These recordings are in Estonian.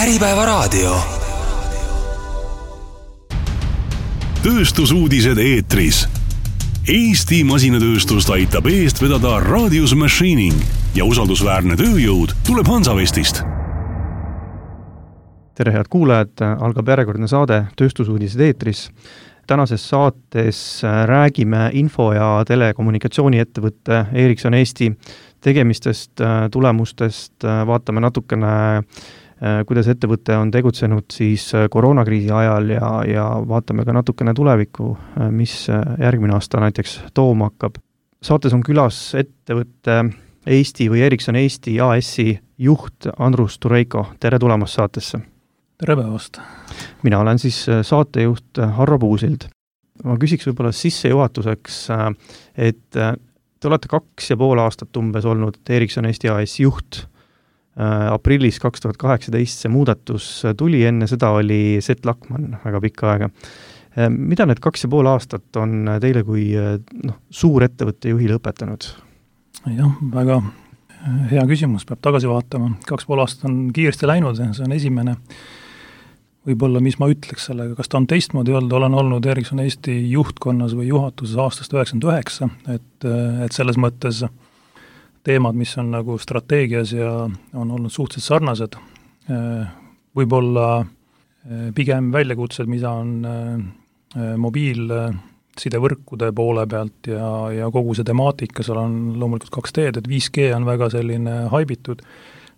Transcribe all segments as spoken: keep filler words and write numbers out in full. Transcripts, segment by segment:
Äripäevaraadio. Tööstusuudised eetris. Eesti masinatööstust aitab eest vedada Radius Machining ja usaldusväärne tööjõud tuleb Hansavestist. Tere head kuulajad, algab järjekordne saade Tööstusuudised eetris. Tänases saates räägime info- ja telekommunikatsiooniettevõtte Ericsson Eesti tegemistest, tulemustest, vaatame natukene, kuidas ettevõte on tegutsenud siis koroonakriisi ajal ja, ja vaatame ka natukene tulevikku, mis järgmine aasta näiteks tooma hakkab. Saates on külas ettevõtte Eesti või Ericsson Eesti A S-i juht Andrus Tureiko. Tere tulemast saatesse! Tere päevast! Mina olen siis saatejuht Harro Puusild. Ma küsiks võib-olla sissejuhatuseks, et te olete kaks ja pool aastat umbes olnud Ericsson Eesti A S juht. Aprillis kaks tuhat kaheksateist see muudatus tuli, enne seda oli Seth Lackman väga pikka aega. Mida need kaks ja pool aastat on teile kui no, suur ettevõtte juhile õpetanud? Jah, väga hea küsimus, peab tagasi vaatama. Kaks pool aastat on kiiresti läinud, see on esimene. Võib-olla, mis ma ütleks sellega, kas ta on teistmoodi olnud, olen olnud Ericsson Eesti juhtkonnas või juhatuses aastast üheksakümmend üheksa, et, et selles mõttes teemad, mis on nagu strateegias ja on olnud suhteliselt sarnased, võib-olla pigem väljakutsed, mida on mobiilsidevõrkude poole pealt ja, ja kogu see temaatika, seal on loomulikult kaks teed, et viis G on väga selline haibitud,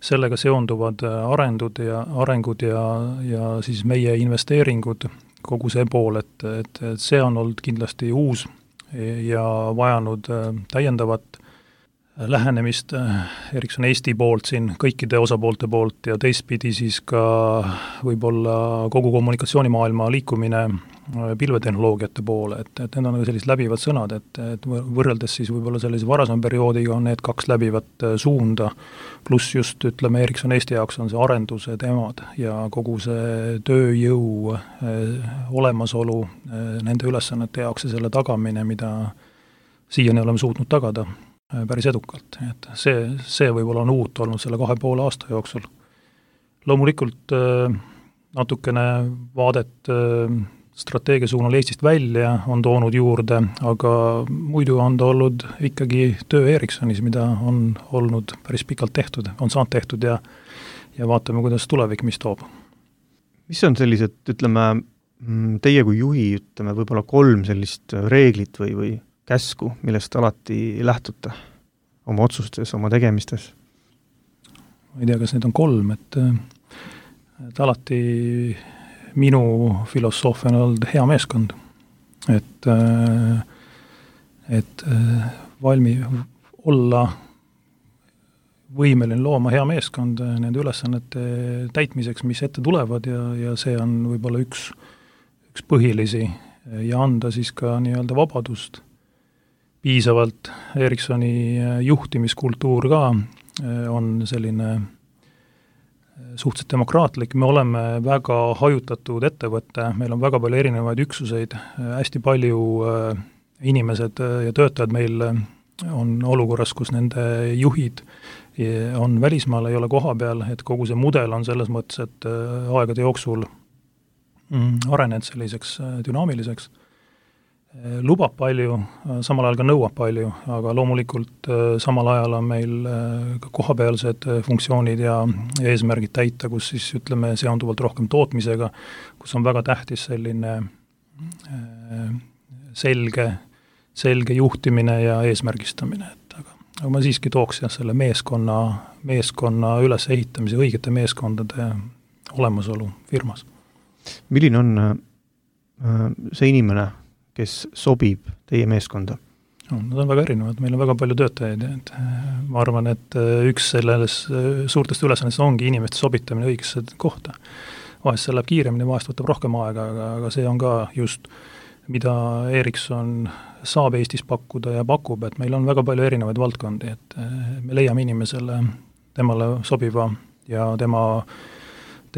sellega seonduvad arendud ja, arengud ja, ja siis meie investeeringud, kogu see pool, et, et, et see on olnud kindlasti uus ja vajanud täiendavat lähenemist Ericsson Eesti poolt siin, kõikide osapoolte poolt ja teistpidi siis ka võib-olla kogu kommunikatsioonimaailma liikumine pilvetehnoloogiate poole, et, et need on sellised läbivad sõnad, et, et võrreldes siis võib-olla sellise varasema perioodiga on need kaks läbivat suunda, pluss just ütleme Ericsson Eesti jaoks on see arenduse teemad ja kogu see tööjõu eh, olemasolu eh, nende ülesannete jaoks ja selle tagamine, mida siiani oleme suutnud tagada päris edukalt, et see, see võib-olla on uut olnud selle kahe poole aasta jooksul. Loomulikult natukene vaadet strateegia suunal Eestist välja on toonud juurde, aga muidu on ta olnud ikkagi töö Ericssonis, mida on olnud päris pikalt tehtud, on saanud tehtud ja, ja vaatame, kuidas tulevik, mis toob. Mis on sellised, ütleme, teie kui juhi, ütleme, võib-olla kolm sellist reeglit või, või käsku, millest alati lähtute oma otsustes, oma tegemistes? Ma ei tea, kas need on kolm, et, et alati minu filosoofia on olnud hea meeskond, et, et valmi olla võimeline looma hea meeskond nende ülesannete täitmiseks, mis ette tulevad ja, ja see on võib-olla üks, üks põhilisi ja anda siis ka nii-öelda vabadust piisavalt. Ericssoni juhtimiskultuur ka on selline suhteliselt demokraatlik, me oleme väga hajutatud ettevõtte, meil on väga palju erinevaid üksuseid, hästi palju inimesed ja töötajad meil on olukorras, kus nende juhid on välismaal, ei ole koha peal, et kogu see mudel on selles mõttes, et aegade jooksul arenenud selliseks dünaamiliseks, lubab palju, samal ajal ka nõuab palju, aga loomulikult samal ajal on meil ka kohapealsed funktsioonid ja eesmärgid täita, kus siis ütleme seonduvalt rohkem tootmisega, kus on väga tähtis selline selge, selge juhtimine ja eesmärgistamine. Et aga, aga ma siiski tooks jah, selle meeskonna, meeskonna ülesehitamise, õigete meeskondade olemasolu firmas. Milline on see inimene, kes sobib teie meeskonda? No, nad on väga erinevad, meil on väga palju töötajaid, et ma arvan, et üks selles suurtest ülesannest ongi inimeste sobitamine õigesse kohta. Vahest see läheb kiiremini, vahest võtab rohkem aega, aga, aga see on ka just, mida Ericsson saab Eestis pakkuda ja pakub, et meil on väga palju erinevaid valdkondi, et me leiame inimesele temale sobiva ja tema,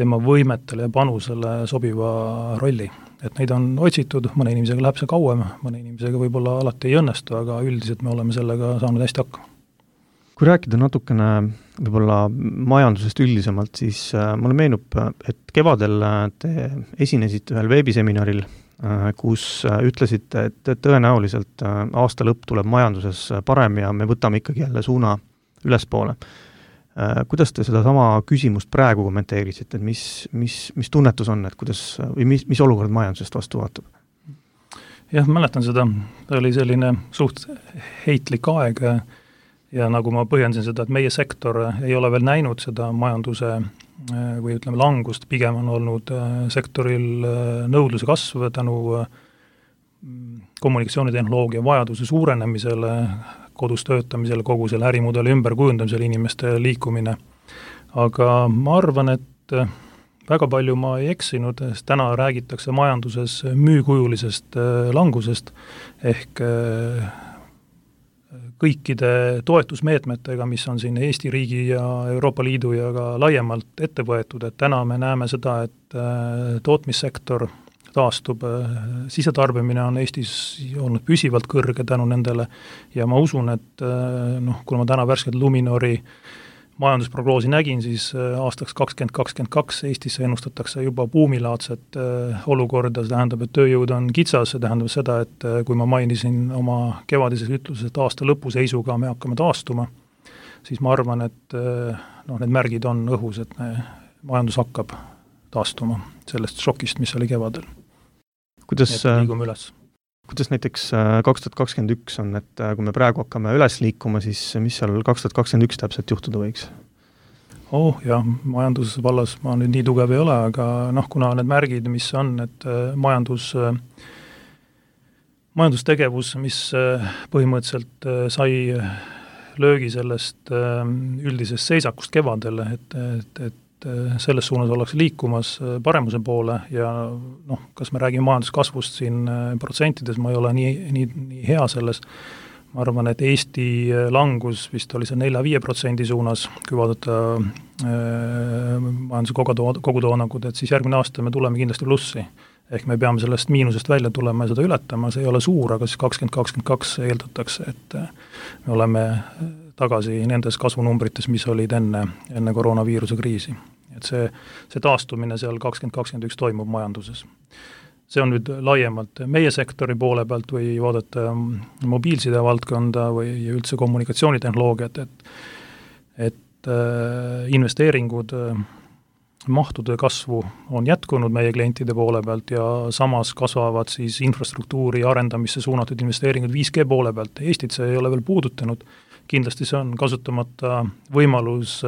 tema võimetele ja panusele sobiva rolli. Et neid on otsitud, mõne inimesega läheb see kauem, mõne inimesega võib-olla alati ei õnnestu, aga üldiselt me oleme sellega saanud hästi hakkama. Kui rääkida natukene võib-olla majandusest üldisemalt, siis mulle meenub, et kevadel te esinesite ühel veebiseminaril, kus ütlesite, et tõenäoliselt aasta lõpp tuleb majanduses parem ja me võtame ikkagi jälle suuna ülespoole. Kuidas te seda sama küsimust praegu kommenteerisite, et mis, mis, mis tunnetus on, et kuidas, või mis, mis olukord majandusest vastu vaatab? Jah, mäletan seda, ta oli selline suht heitlik aeg ja nagu ma põhjendasin seda, et meie sektor ei ole veel näinud seda majanduse või ütleme langust, pigem on olnud sektoril nõudluse kasv tänu kommunikatsioonitehnoloogia vajaduse suurenemisele, kodus töötamisele, kogu selle ärimudeli ümberkujundamisele, inimeste liikumine. Aga ma arvan, et väga palju ma ei eksinud, sest täna räägitakse majanduses müükujulisest langusest ehk kõikide toetusmeetmetega, mis on siin Eesti riigi ja Euroopa Liidu ja ka laiemalt ette võetud, et täna me näeme seda, et tootmissektor taastub, sisetarbimine on Eestis olnud püsivalt kõrge tänu nendele ja ma usun, et noh, kui ma täna värskelt Luminori majandusprognoosi nägin, siis aastaks kakskümmend kakskümmend kaks Eestisse ennustatakse juba buumilaadset olukorda, see tähendab, et tööjõud on kitsas, see tähendab seda, et kui ma mainisin oma kevadises ütluses, et aasta lõpuseisuga me hakkame taastuma, siis ma arvan, et noh, need märgid on õhus, et majandus hakkab taastuma sellest šokist, mis oli kevadel. Kuidas, liigume üles. Kuidas näiteks kaks tuhat kakskümmend üks on, et kui me praegu hakkame üles liikuma, siis mis seal kaks tuhat kakskümmend üks täpselt juhtuda võiks? Oh jah, majandusvallas ma nüüd nii tugev ei ole, aga noh, kuna need märgid, mis on, et majandus, majandustegevus, mis põhimõtteliselt sai löögi sellest üldisest seisakust kevadel, et, et, et selles suunas ollakse liikumas paremuse poole ja noh, kas me räägime majanduskasvust siin protsentides, ma ei ole nii, nii, nii hea selles, ma arvan, et Eesti langus vist oli see nelja viie protsendi suunas, kui vaadata äh, majanduse kogutoodangud, et siis järgmine aasta me tuleme kindlasti plussi. Ehk me peame sellest miinusest välja tulema ja seda ületama, see ei ole suur, aga siis kakskümmend kakskümmend kaks eeldatakse, et me oleme tagasi nendes kasvunumbrites, mis olid enne, enne koroonaviiruse kriisi. Et see, see taastumine seal kakskümmend kakskümmend üks toimub majanduses. See on nüüd laiemalt meie sektori poole pealt või vaadata mobiilside valdkonda või üldse kommunikatsioonitehnoloogiat, et, et investeeringud mahtude kasvu on jätkunud meie klientide poole pealt ja samas kasvavad siis infrastruktuuri arendamisse suunatud investeeringud viis G poole pealt. Eestit see ei ole veel puudutanud. Kindlasti see on kasutamata võimalus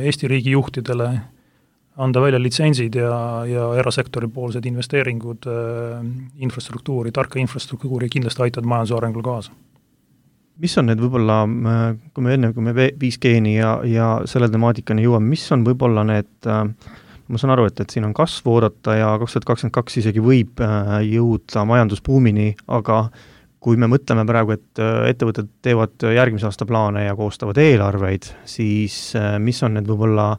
Eesti riigi juhtidele anda välja litsentsid ja, ja erasektori poolsed investeeringud infrastruktuuri, tarka infrastruktuuri kindlasti aitavad majanduse arengul kaasa. Mis on need võib-olla, kui me enne, kui me viis G-ni ja, ja selle temaatikani jõuame, mis on võib-olla need, ma saan aru, et, et siin on kasvu oodata ja kaks tuhat kakskümmend kaks isegi võib jõuda majandusbuumini, aga kui me mõtleme praegu, et ettevõtted teevad järgmise aasta plaane ja koostavad eelarveid, siis mis on need võib-olla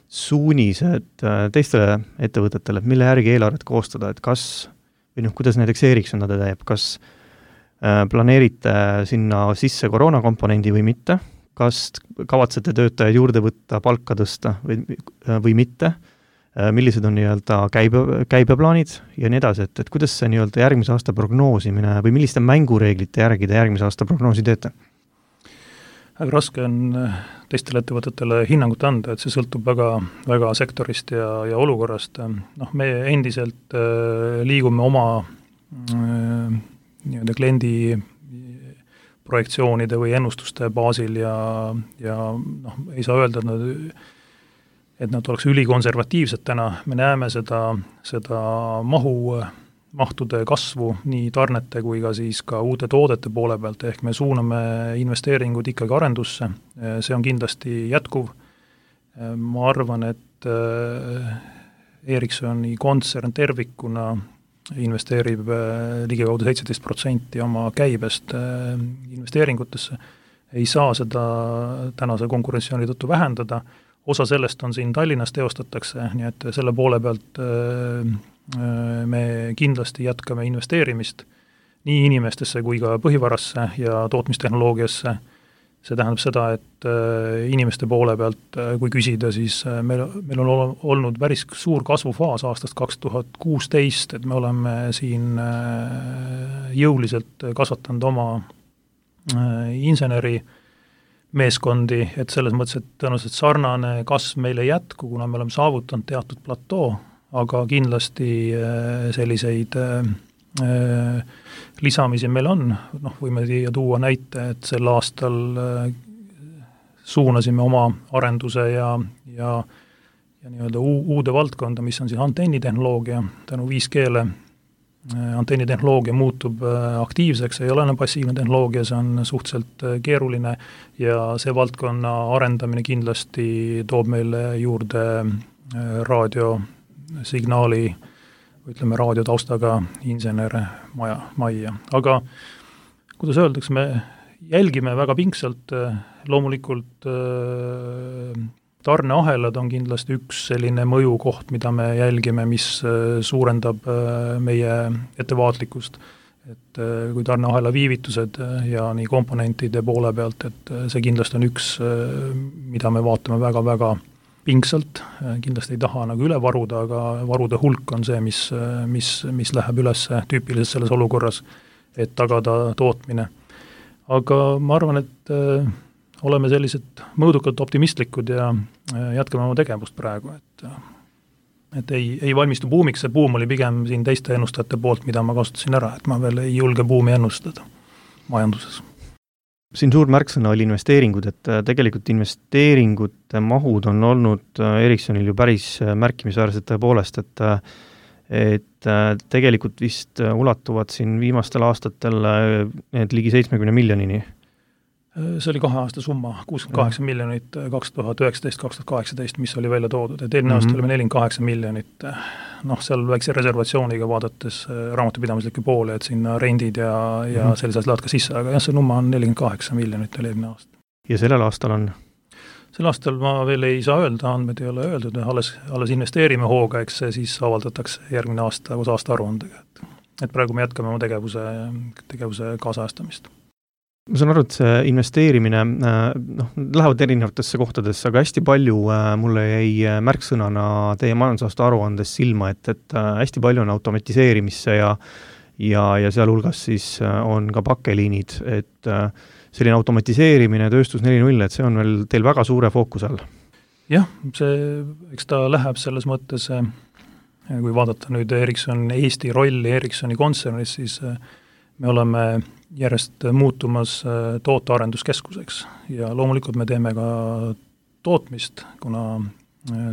suunised teistele ettevõtetele, et mille järgi eelarvet koostada, et kas, või noh, kuidas näiteks Ericsson seda teeb, kas planeerite sinna sisse koroonakomponendi või mitte, kas kavatsete töötajaid juurde võtta, palka tõsta või, või mitte, millised on nii-öelda käibe, käibeplaanid ja nii edasi, et, et kuidas see nii-öelda järgmise aasta prognoosimine või milliste mängureeglite järgi te järgmise aasta prognoosi teete? Väga raske on teistele ettevõtetele hinnangut anda, et see sõltub väga, väga sektorist ja, ja olukorrast. Noh, me endiselt liigume oma nii-öelda kliendi projektsioonide või ennustuste baasil ja, ja noh, ei saa öelda, et nad, et nad oleks ülikonservatiivsed täna. Me näeme seda, seda mahu, mahtude kasvu nii tarnete kui ka siis ka uute toodete poole pealt, ehk me suuname investeeringud ikkagi arendusse. See on kindlasti jätkuv. Ma arvan, et Ericssoni kontsern tervikuna investeerib ligikaudu seitseteist protsenti oma käibest investeeringutesse, ei saa seda tänase konkurentsiooni tõttu vähendada, osa sellest on siin Tallinnas teostatakse, nii et selle poole pealt me kindlasti jätkame investeerimist nii inimestesse kui ka põhivarasse ja tootmistehnoloogiasse, see tähendab seda, et inimeste poole pealt, kui küsida, siis meil, meil on olnud päris suur kasvufaas aastast kaks tuhat kuusteist, et me oleme siin jõuliselt kasvatanud oma inseneri meeskondi, et selles mõttes, et tõenäoliselt sarnane kasv meil ei jätku, kuna me oleme saavutanud teatud platoo, aga kindlasti selliseid lisamisi meil on, noh, võime siia tuua näite, et sel aastal suunasime oma arenduse ja, ja, ja nii-öelda uude valdkonda, mis on siis antennitehnoloogia, tänu viis G-le antennitehnoloogia muutub aktiivseks, ei ole enam passiivne tehnoloogia, see on suhteliselt keeruline ja see valdkonna arendamine kindlasti toob meile juurde raadiosignaali, ütleme raadiotaustaga insenere maja, majja. Aga kuidas öeldaks, me jälgime väga pingsalt, loomulikult tarneahelad on kindlasti üks selline mõjukoht, mida me jälgime, mis suurendab meie ettevaatlikkust. Et kui tarneahela viivitused ja nii komponentide poole pealt, et see kindlasti on üks, mida me vaatame väga-väga pingsalt, kindlasti ei taha nagu üle varuda, aga varude hulk on see, mis, mis, mis läheb üles tüüpiliselt selles olukorras, et tagada tootmine. Aga ma arvan, et äh, oleme sellised mõõdukalt optimistlikud ja äh, jätkame oma tegevust praegu, et, et ei, ei valmistu buumiks, see buum oli pigem siin teiste ennustajate poolt, mida ma kasutasin ära, et ma veel ei julge buumi ennustada majanduses. Siin suur märksõna oli investeeringud, et tegelikult investeeringute mahud on olnud Ericssonil ju päris märkimisväärsed tõepoolest, et, et tegelikult vist ulatuvad siin viimastel aastatel need ligi seitsmekümne miljonini. See oli kahe aasta summa, kuuskümmend kaheksa miljonit kaks tuhat üheksateist kaks tuhat kaheksateist, mis oli välja toodud, et eelmine aasta mm-hmm. oli nelikümmend kaheksa miljonit, noh, seal väikse reservatsiooniga vaadates raamatupidamislikke poole, et sinna rendid ja, ja mm-hmm. sellised lähevad ka sisse, aga jah, see numma on nelikümmend kaheksa miljonit oli eelmine aasta. Ja sellel aastal on? Sel aastal ma veel ei saa öelda, andmed ei ole öeldud, alles, alles investeerime hooga, eks see siis avaldatakse järgmine aasta koos aasta aruandega, et, et praegu me jätkame oma tegevuse, tegevuse kaasajastamist. Ma saan aru, et see investeerimine, noh, lähevad erinevatesse kohtadesse, aga hästi palju mulle jäi märksõnana teie majandusaasta aruandes silma, et, et hästi palju on automatiseerimisse ja, ja, ja sealhulgas siis on ka pakkeliinid, et selline automatiseerimine tööstus neli null, et see on veel teil väga suure fookus all. Jah, see, eks ta läheb selles mõttes, kui vaadata nüüd Ericsson Eesti rolli Ericssoni kontsernis, siis me oleme järjest muutumas tootearenduskeskuseks ja loomulikult me teeme ka tootmist, kuna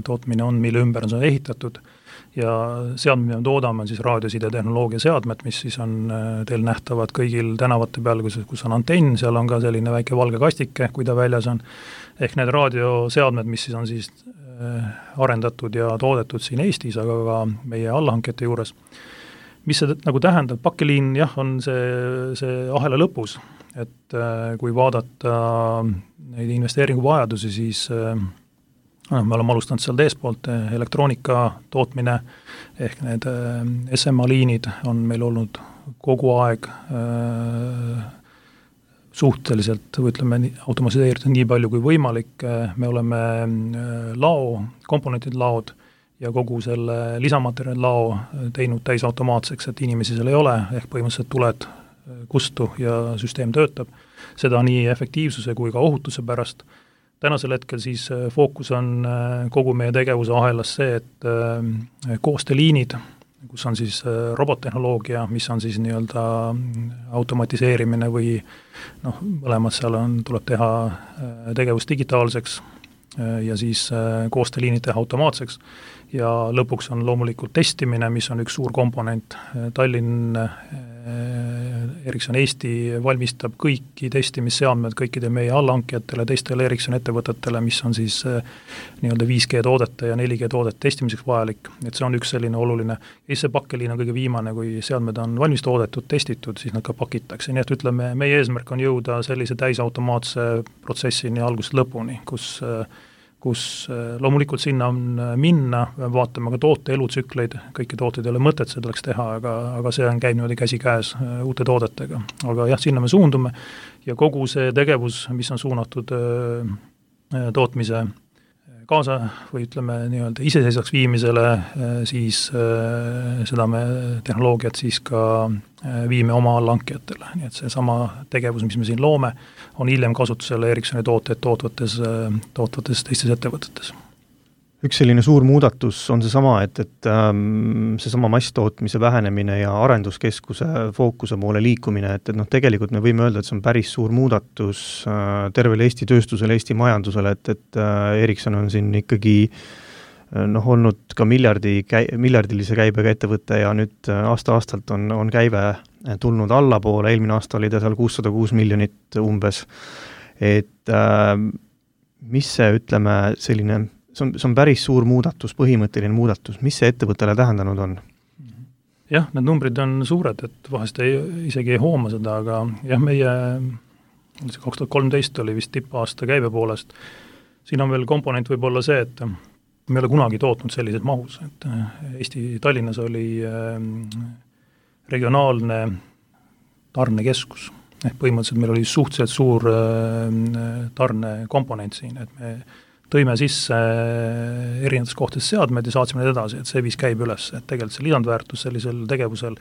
tootmine on, mille ümber on see ehitatud ja seadmed, mida me toodame, on siis raadiosidetehnoloogia seadmed, mis siis on teil nähtavad kõigil tänavate peal, kus, kus on antenn, seal on ka selline väike valge kastike, kui ta väljas on, ehk need raadioseadmed, mis siis on siis arendatud ja toodetud siin Eestis, aga ka meie allahankete juures. Mis see nagu tähendab, pakkeliin jah, on see, see ahela lõpus, et kui vaadata neid investeeringuvajadusi, siis no, me oleme alustanud seal teespoolt, elektroonika tootmine, ehk need S M A-liinid on meil olnud kogu aeg äh, suhteliselt, või ütleme, automatiseeritud nii palju kui võimalik, me oleme lao, komponentid laod, ja kogu selle lisamaterjali lao teinud täis automaatseks, et inimesi seal ei ole, ehk põhimõtteliselt tuled kustu ja süsteem töötab. Seda nii efektiivsuse kui ka ohutuse pärast. Tänasel hetkel siis fookus on kogu meie tegevuse ahelas see, et koosteliinid, kus on siis robottehnoloogia, mis on siis nii-öelda automatiseerimine või noh, mõlemad seal on, tuleb teha tegevus digitaalseks ja siis koosteliinid teha automaatseks ja lõpuks on loomulikult testimine, mis on üks suur komponent. Tallinn Ericsson Eesti valmistab kõiki testimisseadmed kõikide meie allahankijatele, teistele Ericsson ettevõtetele, mis on siis nii-öelda viis G toodete ja neli G toodete testimiseks vajalik. Et see on üks selline oluline. Ja see pakkeliin on kõige viimane, kui seadmed on valmis toodetud, testitud, siis nad ka pakitakse. Nii et ütleme, meie eesmärk on jõuda sellise täisautomaatse protsessini algusest lõpuni, kus kus loomulikult sinna on minna, vaatame ka toote elutsükleid, kõiki tooteid ei ole mõtet selleks teha, aga, aga see on käib niimoodi käsi käes uute toodetega. Aga jah, sinna me suundume ja kogu see tegevus, mis on suunatud tootmise kaasa või ütleme nii-öelda iseseisvaks viimisele, siis seda me tehnoloogiat siis ka viime oma allhankijatele. Nii et see sama tegevus, mis me siin loome, on hiljem kasutusele Ericssoni tooteid tootvates, tootvates teistes ettevõtetes. Üks selline suur muudatus on see sama, et, et ähm, see sama masstootmise vähenemine ja arenduskeskuse fookuse poole liikumine, et, et noh, tegelikult me võime öelda, et see on päris suur muudatus äh, tervele Eesti tööstusele, Eesti majandusele, et, et äh, Ericsson on siin ikkagi äh, noh, olnud ka miljardi, käi, miljardilise käibega ettevõte ja nüüd aasta-aastalt on, on käive tulnud allapoole, eelmine aasta oli ta seal kuussada kuus miljonit umbes, et äh, mis see, ütleme, selline See on, see on päris suur muudatus, põhimõtteline muudatus. Mis see ettevõttele tähendanud on? Jah, need numbrid on suured, et vahest ei, isegi ei hooma seda, aga jah, meie kaks tuhat kolmteist oli vist tippaasta käibe poolest. Siin on veel komponent võib olla see, et me ei ole kunagi tootnud sellises mahus, et Eesti Tallinnas oli regionaalne tarnekeskus. Ehk põhimõtteliselt meil oli suhteliselt suur tarnekomponent siin, et me tõime sisse erinevates kohtades seadmed ja saatsime need edasi, et see viis käib üles, et tegelikult see lisandväärtus sellisel tegevusel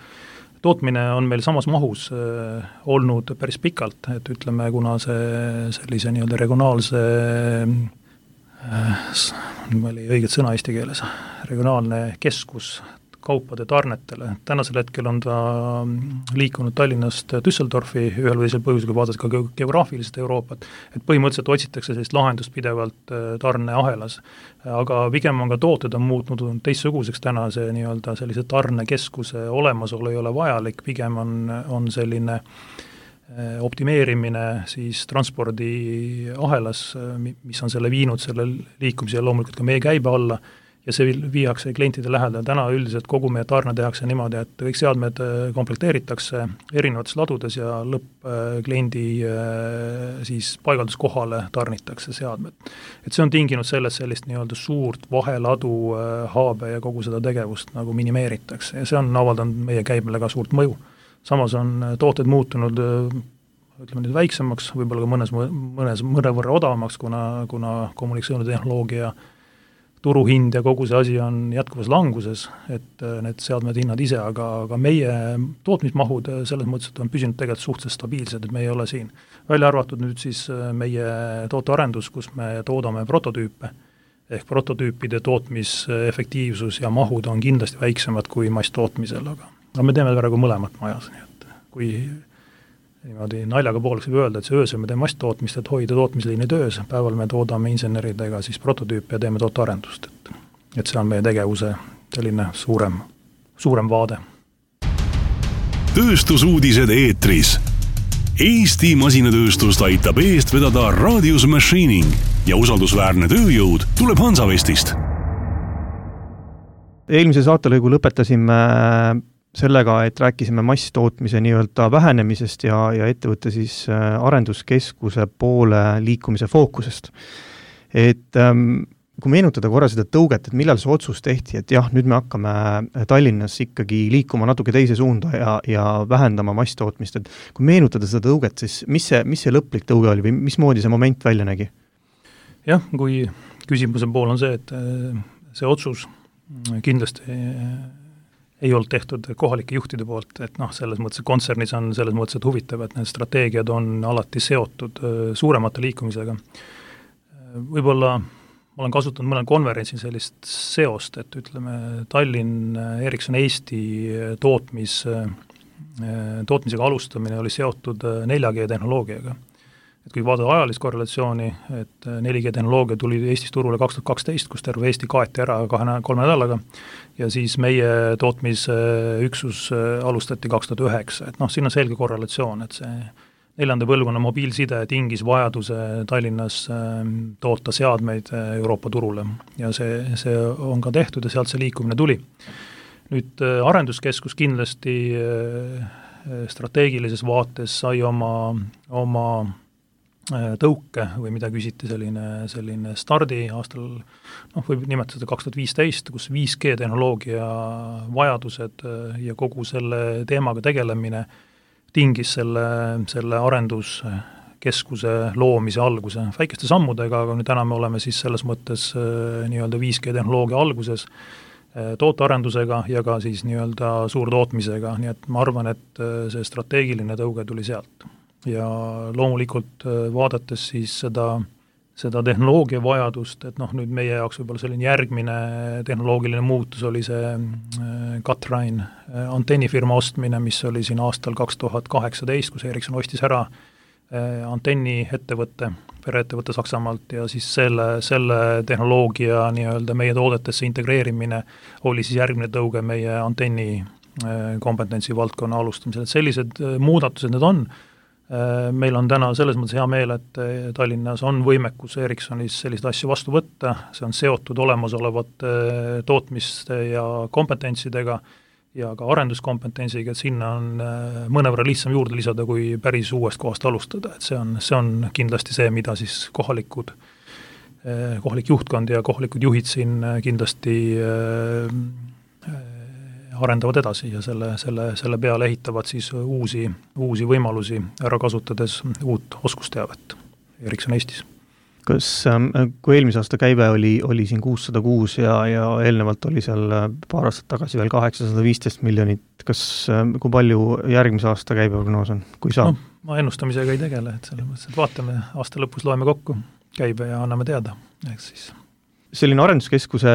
tootmine on meil samas mahus äh, olnud päris pikalt, et ütleme, kuna see sellise nii-öelda regionaalse äh, ma oli õiget sõna eesti keeles, regionaalne keskus kaupade tarnetele. Tänasel hetkel on ta liikunud Tallinnast Düsseldorfi ühel või teisel põhjusel, kui vaadata ka geograafiliselt Euroopat, et põhimõtteliselt otsitakse sellist lahendust pidevalt tarneahelas. Aga pigem on ka tooted on muutnud teistsuguseks täna, see nii-öelda sellise tarnekeskuse olemasolu ei ole vajalik, pigem on, on selline optimeerimine siis transpordiahelas, mis on selle viinud selle liikumise ja loomulikult ka meie käibe alla, ja see viiakse klientide lähedal. Täna üldiselt kogu meie tarne tehakse niimoodi, et kõik seadmed komplekteeritakse erinevates ladudes ja lõppkliendi siis paigalduskohale tarnitakse seadmed. Et see on tinginud sellest sellist nii-öelda suurt vaheladu haabe ja kogu seda tegevust nagu minimeeritakse ja see on avaldanud meie käibele ka suurt mõju. Samas on tooted muutunud ütleme nüüd väiksemaks, võib-olla ka mõnes, mõnes mõnevõrra odavamaks, kuna, kuna kommunikatsioonitehnoloogia turuhind ja kogu see asi on jätkuvas languses, et need seadmed hinnad ise, aga, aga meie tootmismahud selles mõttes, et on püsinud tegelikult suhteliselt stabiilsed, et me ei ole siin. Välja arvatud nüüd siis meie tootearendus, kus me toodame prototüüpe, ehk prototüüpide tootmisefektiivsus ja mahud on kindlasti väiksemad kui masstootmisel, aga, aga me teeme praegu mõlemat majas, nii et kui niimoodi naljaga pooleks võib öelda, et see öösel me teeme masstootmist, et hoida tootmisliini töös, päeval me toodame inseneridega siis prototüüpe ja teeme tootearendust, et, et see on meie tegevuse selline suurem, suurem vaade. Tööstusuudised eetris. Eesti masinatööstust aitab eest vedada Radius Machining ja usaldusväärne tööjõud tuleb Hansavestist. Eelmise saatelõigu lõpetasime sellega, et rääkisime masstootmise nii-öelda vähenemisest ja, ja ettevõtte siis arenduskeskuse poole liikumise fookusest. Et ähm, kui meenutada korra seda tõuget, et millal see otsus tehti, et jah, nüüd me hakkame Tallinnas ikkagi liikuma natuke teise suunda ja, ja vähendama masstootmist, et kui meenutada seda tõuget, siis mis see, mis see lõplik tõuge oli või mismoodi see moment välja nägi? Jah, kui küsimuse pool on see, et see otsus kindlasti ei olnud tehtud kohalike juhtide poolt, et noh, selles mõttes kontsernis on selles mõttes et huvitav, et need strateegiad on alati seotud suuremate liikumisega. Võib-olla ma olen kasutanud mõnel konverentsil sellist seost, et ütleme, Tallinn, Ericsson Eesti tootmis, tootmisega alustamine oli seotud nelja G tehnoloogiaga. Et kui vaadata ajalist korrelatsiooni, et neli G tehnoloogia tuli Eestis turule kaks tuhat kaksteist, kus terve Eesti kaeti ära kahe, kolme nädalaga ja siis meie tootmisüksus alustati kaks tuhat üheksa, et noh, siin on selge korrelatsioon, et see neljanda põlvkonna mobiilside tingis vajaduse Tallinnas toota seadmeid Euroopa turule ja see, see on ka tehtud ja sealt see liikumine tuli. Nüüd arenduskeskus kindlasti strateegilises vaates sai oma, oma tõuke või mida küsiti selline, selline stardi aastal, noh, võib nimetada kaks tuhat viisteist, kus viis G tehnoloogia vajadused ja kogu selle teemaga tegelemine tingis selle, selle arenduskeskuse loomise alguse väikeste sammudega, aga nüüd täna me oleme siis selles mõttes nii-öelda viis G tehnoloogia alguses tootearendusega ja ka siis nii-öelda suurtootmisega, nii et ma arvan, et see strateegiline tõuge tuli sealt. Ja loomulikult vaadates siis seda, seda tehnoloogia vajadust, et noh, nüüd meie jaoks võib-olla selline järgmine tehnoloogiline muutus oli see Kathrein antennifirma ostmine, mis oli siin aastal kaks tuhat kaheksateist, kus Ericsson ostis ära antenni ettevõtte, pereettevõtte Saksamaalt ja siis selle, selle tehnoloogia nii-öelda meie toodetesse integreerimine oli siis järgmine tõuge meie antenni kompetentsi valdkonna alustamisel, et sellised muudatused need on. Meil on täna selles mõttes hea meel, et Tallinnas on võimekus Ericssonis selliseid asju vastu võtta, see on seotud olemasolevate tootmiste ja kompetentsidega ja ka arenduskompetentsiga, et sinna on mõnevõrra lihtsam juurde lisada, kui päris uuest kohast alustada, et see on, see on kindlasti see, mida siis kohalikud, kohalik juhtkond ja kohalikud juhid siin kindlasti arendavad edasi ja selle, selle, selle peale ehitavad siis uusi, uusi võimalusi ära kasutades uut oskusteavet Ericsson Eestis. Kas, kui eelmise aasta käive oli, oli siin kuussada kuus ja, ja eelnevalt oli seal paar aastat tagasi veel kaheksasada viisteist miljonit, kas, kui palju järgmise aasta käibeprognoos on, kui saab? No, ma ennustamisega ei tegele, et selles mõttes, et vaatame, aasta lõpus loeme kokku käibe ja anname teada, eks siis. Selline arenduskeskuse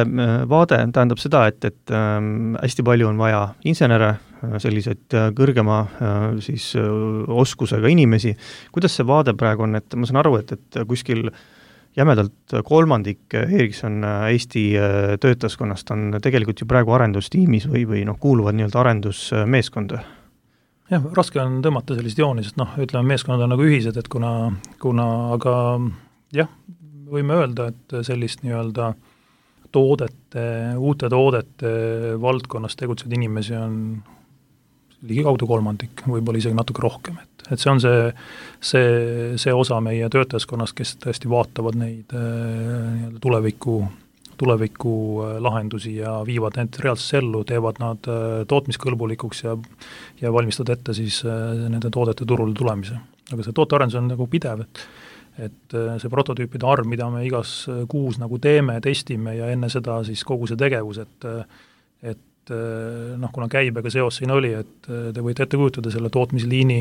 vaade tähendab seda, et, et ähm, hästi palju on vaja insenere, selliseid kõrgema äh, siis äh, oskusega inimesi. Kuidas see vaade praegu on, et ma saan aru, et, et kuskil jämedalt kolmandik Ericsson Eesti töötaskonnast on tegelikult ju praegu arendustiimis või, või noh, kuuluvad nii-öelda arendusmeeskonda? Jah, raske on tõmmata sellist jooni, sest noh, ütleme, meeskonnad on nagu ühised, et kuna, kuna aga jah, võime öelda, et sellist nii-öelda toodete, uute toodete valdkonnas tegutsevad inimesi on ligikaudu kolmandik, võib-olla isegi natuke rohkem, et, et see on see, see, see osa meie töötajaskonnast, kes tõesti vaatavad neid nii-öelda tuleviku, tuleviku lahendusi ja viivad need reaalsesse ellu, teevad nad tootmiskõlbulikuks ja, ja valmistavad ette siis nende toodete turule tulemise. Aga see tootearendus on nagu pidev, et et see prototüüpide arv, mida me igas kuus nagu teeme, testime ja enne seda siis kogu see tegevus, et et noh, kuna käibega seos siin oli, et te võite ette kujutada selle tootmisliini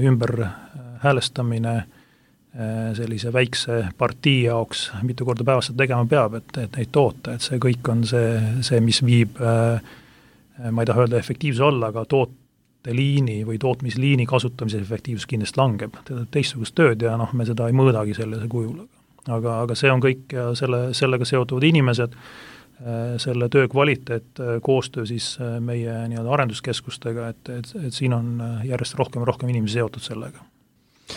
ümber häälestamine sellise väikse partii jaoks, mitu korda päevas seda tegema peab, et, et neid toota, et see kõik on see, see mis viib, ma ei taha öelda efektiivse alla, aga toot liini või tootmisliini kasutamise efektiivsus kindlasti langeb, teda teistsugust tööd ja noh, me seda ei mõõdagi sellise kujul. Aga, aga see on kõik ja selle, sellega seotuvad inimesed, selle töö kvaliteet, koostöö siis meie nii-öelda arenduskeskustega, et, et, et siin on järjest rohkem ja rohkem inimesi seotud sellega.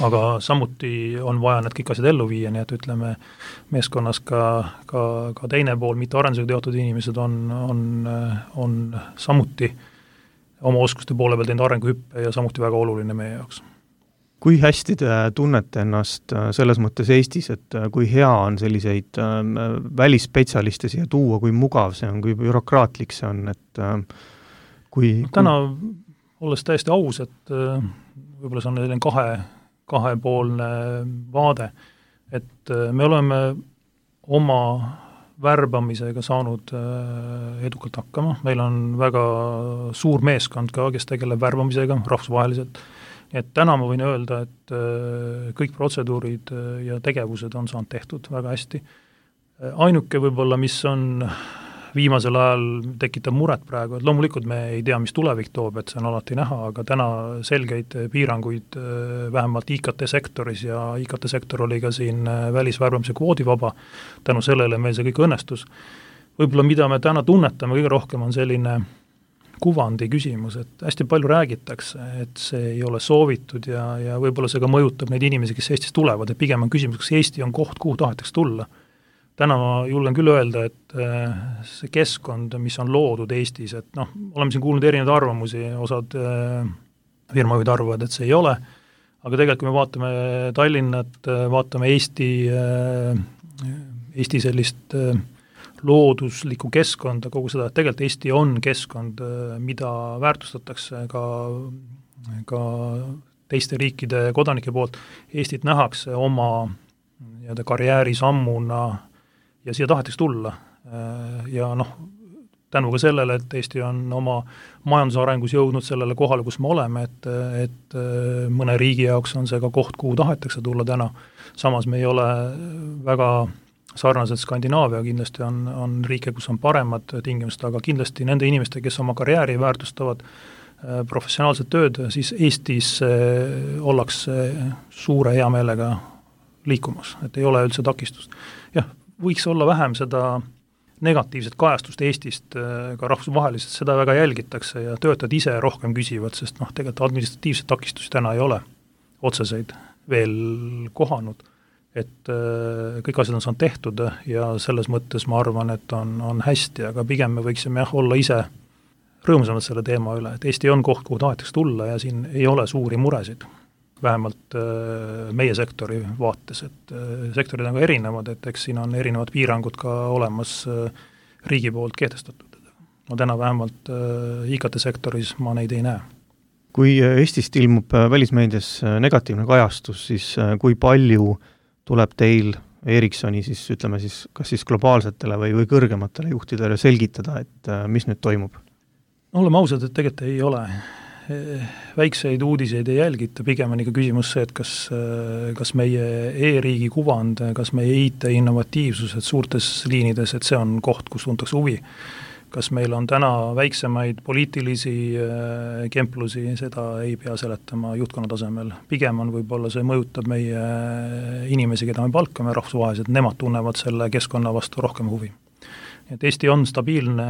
Aga samuti on vaja need kõik asjad ellu viia, nii et ütleme, meeskonnas ka, ka, ka teine pool, mitte arendusega teotud inimesed on, on, on samuti oma oskuste poole peal teinud arenguhüppe ja samuti väga oluline meie jaoks. Kui hästi te tunnete ennast selles mõttes Eestis, et kui hea on selliseid välisspetsialiste siia tuua, kui mugav see on, kui bürokraatlik see on, et kui... Täna, olles täiesti aus, et võib-olla see on selline kahe, kahepoolne vaade, et me oleme oma värbamisega saanud edukalt hakkama. Meil on väga suur meeskond ka, kes tegeleb värbamisega rahvusvaheliselt. Et täna ma võin öelda, et kõik protseduurid ja tegevused on saanud tehtud väga hästi. Ainuke võib-olla, mis on viimasel ajal tekitab muret praegu, et loomulikult me ei tea, mis tulevik toob, et see on alati näha, aga täna selgeid piiranguid vähemalt I K T-sektoris ja I K T-sektor oli ka siin välisvärbamise kvoodivaba, tänu sellele meil see kõik õnnestus. Võib-olla mida me täna tunnetame kõige rohkem on selline kuvandi küsimus, et hästi palju räägitakse, et see ei ole soovitud ja, ja võib-olla see ka mõjutab neid inimesi, kes Eestis tulevad, et pigem on küsimus, kas Eesti on koht, kuhu tahetakse tulla. Täna ma julgen küll öelda, et see keskkond, mis on loodud Eestis, et noh, oleme siin kuulnud erinevaid arvamusi, osad firmajuhid arvavad, et see ei ole, aga tegelikult kui me vaatame Tallinnat, vaatame Eesti, Eesti sellist looduslikku keskkonda, kogu seda, et tegelikult Eesti on keskkond, mida väärtustatakse ka, ka teiste riikide kodanike poolt. Eestit nähakse oma nii-öelda karjäärisammuna ja siia tahetakse tulla. Ja noh, tänu ka sellele, et Eesti on oma majandusarengus jõudnud sellele kohale, kus me oleme, et, et mõne riigi jaoks on see ka koht, kuhu tahetakse tulla täna. Samas me ei ole väga sarnaselt Skandinaavia, kindlasti on, on riike, kus on paremad tingimused, aga kindlasti nende inimeste, kes oma karjääri väärtustavad professionaalset tööd, siis Eestis ollakse suure hea meelega liikumas, et ei ole üldse takistust. Jah, võiks olla vähem seda negatiivset kajastust Eestist ka rahvusvaheliselt, seda väga jälgitakse ja töötajad ise rohkem küsivad, sest noh, tegelikult administratiivset takistusi täna ei ole otseseid veel kohanud, et kõik asjad on saanud tehtud ja selles mõttes ma arvan, et on, on hästi, aga pigem me võiksime jah, olla ise rõõmsamad selle teema üle, et Eesti on koht, kuhu tahetakse tulla ja siin ei ole suuri muresid, vähemalt meie sektori vaates, et sektorid on ka erinevad, et eks siin on erinevad piirangud ka olemas riigi poolt kehtestatud. No täna vähemalt I K T-sektoris ma neid ei näe. Kui Eestist ilmub välismeedias negatiivne kajastus, siis kui palju tuleb teil Ericssoni siis, ütleme siis, kas siis globaalsetele või, või kõrgematele juhtidele selgitada, et mis nüüd toimub? No oleme ausad, et tegelikult ei ole. Väikseid uudiseid ei jälgita, pigem on ikka küsimus see, et kas, kas meie e-riigi kuvand, kas meie I T innovatiivsused suurtes liinides, et see on koht, kus tuntakse huvi. Kas meil on täna väiksemaid poliitilisi kemplusi, seda ei pea seletama juhtkonna tasemel. Pigem on võib-olla see mõjutab meie inimesi, keda me palkame rahvusvaheliselt, nemad tunnevad selle keskkonna vastu rohkem huvi. Et Eesti on stabiilne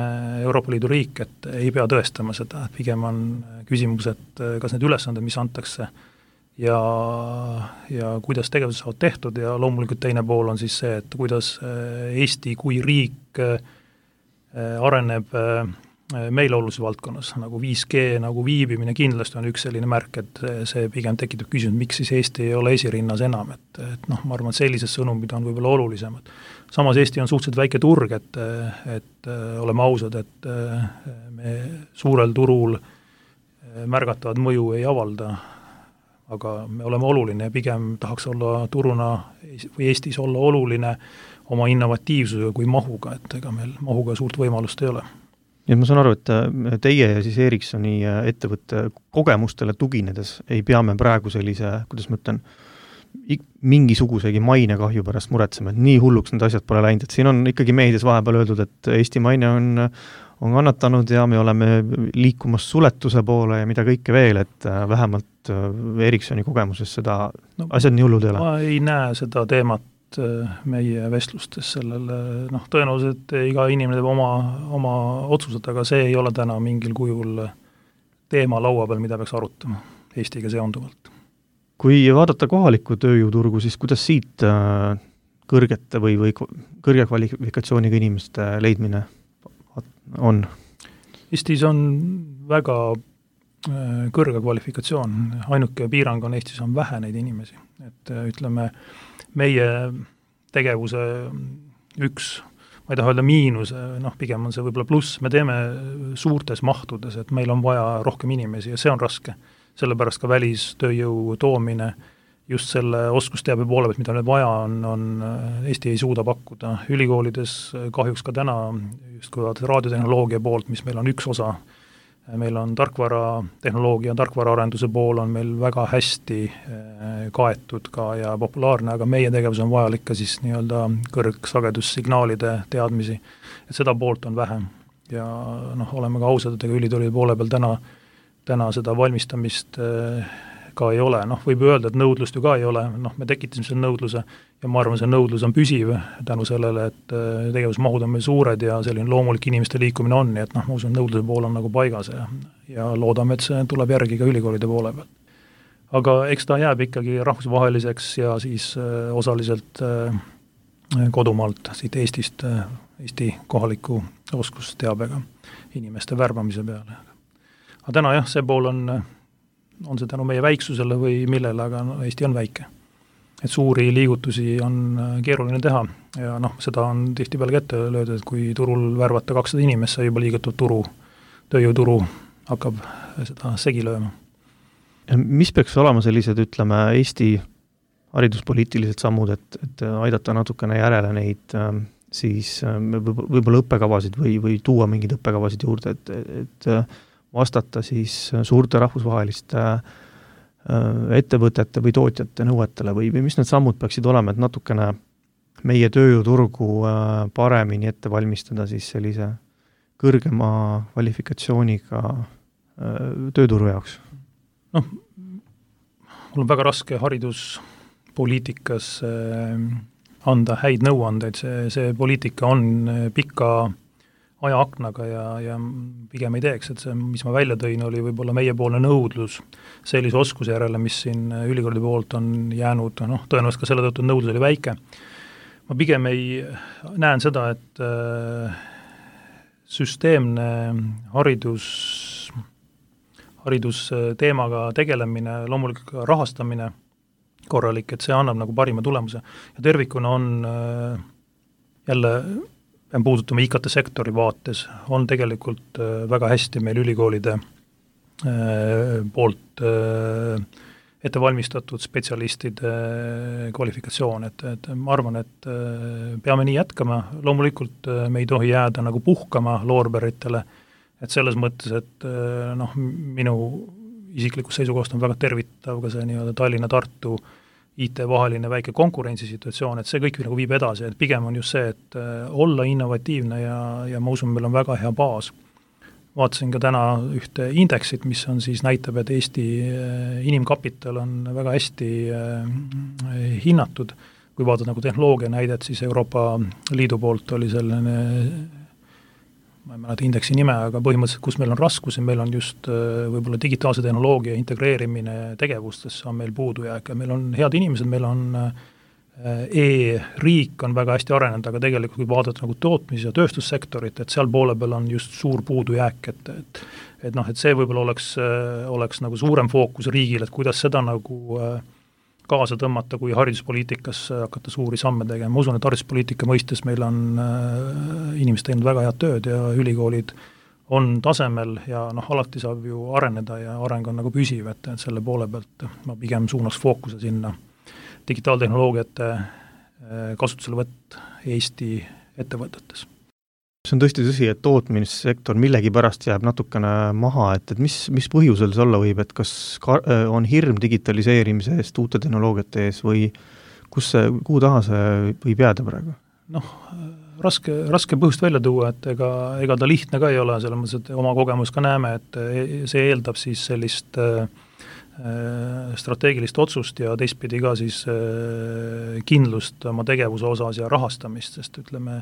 Euroopa Liidu riik, et ei pea tõestama seda, et pigem on küsimus, et kas need ülesanded, mis antakse ja, ja kuidas tegevused saavad tehtud ja loomulikult teine pool on siis see, et kuidas Eesti kui riik areneb meile olulises valdkonnas, nagu viis G, nagu viibimine kindlasti on üks selline märk, et see pigem tekitab küsimus, miks siis Eesti ei ole esirinnas enam, et, et noh, ma arvan, et sellised sõnumid on võib-olla olulisemad. Samas Eesti on suhteliselt väike turg, et, et oleme ausad, et me suurel turul märgatavat mõju ei avalda, aga me oleme oluline ja pigem tahaks olla turuna või Eestis olla oluline oma innovatiivsusega kui mahuga, et ega meil mahuga suurt võimalust ei ole. Ja ma saan aru, et teie ja siis Ericssoni ettevõtte kogemustele tuginedes ei pea me praegu sellise, kuidas ma ütlen, mingisugusegi mainekahju pärast muretsema, et nii hulluks need asjad pole läinud, et siin on ikkagi meedias vahepeal öeldud, et Eesti maine on, on kannatanud ja me oleme liikumas suletuse poole ja mida kõike veel, et vähemalt Ericssoni kogemuses seda no, asjad nii hullud ei ole. Ma ei näe seda teemat meie vestlustes sellele, noh, tõenäoliselt iga inimene teeb oma, oma otsused, aga see ei ole täna mingil kujul teema laua peal, mida peaks arutama Eestiga seonduvalt. Kui vaadata kohalikku tööjõuturgu, siis kuidas siit kõrgete või, või kõrge kvalifikatsiooniga inimeste leidmine on? Eestis on väga kõrge kvalifikatsioon, ainuke piirang on Eestis on vähe neid inimesi, et ütleme, meie tegevuse üks, ma ei taha öelda miinus, noh, pigem on see võib-olla pluss, me teeme suurtes mahtudes, et meil on vaja rohkem inimesi ja see on raske. Sellepärast ka välistööjõu toomine just selle oskusteabe poole pealt, mida meil vaja on, on, Eesti ei suuda pakkuda. Ülikoolides kahjuks ka täna, just kui vaadata raadiotehnoloogia poolt, mis meil on üks osa, meil on tarkvaratehnoloogia, tarkvaraarenduse pool on meil väga hästi kaetud ka ja populaarne, aga meie tegevus on vajalik ka siis nii-öelda kõrgsagedussignaalide teadmisi, et seda poolt on vähem. Ja noh, oleme ka ausad, et ülitoolide poole peal täna, täna seda valmistamist ka ei ole, noh, võib öelda, et nõudlust ju ka ei ole, noh, me tekitasime selle nõudluse ja ma arvan, see nõudlus on püsiv tänu sellele, et tegevusmahud on meil suured ja selline loomulik inimeste liikumine on, nii et noh, ma usun, nõudluse pool on nagu paigas ja, ja loodame, et see tuleb järgi ka ülikoolide poole peal. Aga eks ta jääb ikkagi rahvusvaheliseks ja siis osaliselt kodumaalt, siit Eestist, Eesti kohaliku oskusteabega inimeste värbamise peale. Aga täna jah, see pool on on see tänu meie väiksusele või millele, aga no, Eesti on väike. Et suuri liigutusi on keeruline teha ja noh, seda on tihtipeale kätte löödud, et kui turul värvata kakssada inimest, sai juba liigutud turu, tööjõuturu hakkab seda segi lööma. Mis peaks olema sellised, ütleme, Eesti hariduspoliitilised sammud, et, et aidata natukene järele neid siis võib-olla õppekavasid või, või tuua mingid õppekavasid juurde, et, et vastata siis suurte rahvusvaheliste ettevõtete või tootjate nõuetele või, või mis need sammud peaksid olema, et natukene meie tööjõuturgu paremini ette valmistada siis sellise kõrgema kvalifikatsiooniga tööturu jaoks? Noh, mul on väga raske hariduspoliitikas anda häid nõuandeid, see, see poliitika on pika ajaaknaga ja, ja pigem ei teeks, et see, mis ma välja tõin, oli võib-olla meiepoolne nõudlus sellise oskuse järele, mis siin ülikooli poolt on jäänud, noh, tõenäoliselt ka selle tõttu nõudlus oli väike. Ma pigem ei näen seda, et äh, süsteemne haridus, haridusteemaga tegelemine, loomulikult ka rahastamine korralik, et see annab nagu parima tulemuse. Ja tervikuna on äh, jälle pean puudutama I K T-sektori vaates, on tegelikult väga hästi meil ülikoolide poolt ette valmistatud spetsialistide kvalifikatsioon, et, et ma arvan, et peame nii jätkama, loomulikult me ei tohi jääda nagu puhkama loorberitele, et selles mõttes, et noh, minu isiklikus seisukohast on väga tervitav ka see nii-öelda Tallinna-Tartu I T vaheline väike konkurentsisituatsioon, et see kõik nagu viib edasi, et pigem on just see, et olla innovatiivne ja, ja ma usun, meil on väga hea baas. Vaatasin ka täna ühte indeksit, mis on siis näitab, et Eesti inimkapital on väga hästi hinnatud. Kui vaadata nagu tehnoloogia näidet, siis Euroopa Liidu poolt oli selline, ma ei mäleta indeksi nime, aga põhimõtteliselt, kus meil on raskusi, meil on just võib-olla digitaalse tehnoloogia integreerimine tegevustesse on meil puudujääk ja meil on head inimesed, meil on e-riik on väga hästi arenenud, aga tegelikult kui vaadata nagu tootmis- ja tööstussektorit, et seal poole peal on just suur puudujääk, et, et, et noh, et see võib-olla oleks, oleks nagu suurem fookus riigil, et kuidas seda nagu kaasa tõmmata, kui hariduspoliitikas hakata suuri samme tegema. Ma usun, et hariduspoliitika mõistes meil on äh, inimesed teinud väga head tööd ja ülikoolid on tasemel ja noh, alati saab ju areneda ja areng on nagu püsiv, et, et selle poole pealt ma pigem suunaks fookuse sinna digitaaltehnoloogiate äh, kasutuselevõtt Eesti ettevõtetes. See on tõesti tõsi, et tootmissektor millegi pärast jääb natukene maha, et, et mis, mis põhjusel see olla võib, et kas ka, on hirm digitaliseerimise eest, uute tehnoloogiate ees või kus see, kuhu taha see võib jääda praegu? Noh, raske, raske põhjust välja tuua, et ega, ega ta lihtne ka ei ole, selles mõttes, et oma kogemus ka näeme, et see eeldab siis sellist äh, strateegilist otsust ja teistpidi ka siis äh, kindlust oma tegevuse osas ja rahastamist, sest ütleme,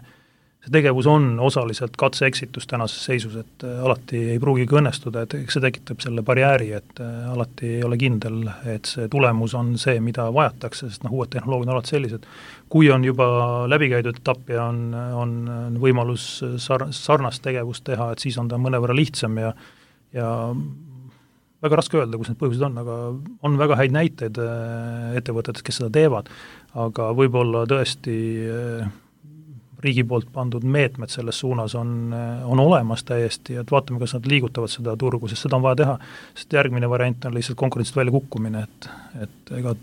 see tegevus on osaliselt katse-eksitus tänases seisus, et alati ei pruugigi õnnestuda, et see tekitab selle barjääri, et alati ei ole kindel, et see tulemus on see, mida vajatakse, sest noh, uued tehnoloogiad on alati sellised. Kui on juba läbikäidud etapp ja on, on võimalus sar- sarnast tegevust teha, et siis on ta mõnevõrra lihtsam ja, ja väga raske öelda, kus need põhjused on, aga on väga häid näiteid ettevõtetes, kes seda teevad, aga võib-olla tõesti riigi poolt pandud meetmed selles suunas on, on olemas täiesti, et vaatame, kas nad liigutavad seda turgu, sest seda on vaja teha, sest järgmine variant on lihtsalt konkurentsist välja kukkumine, et, et ega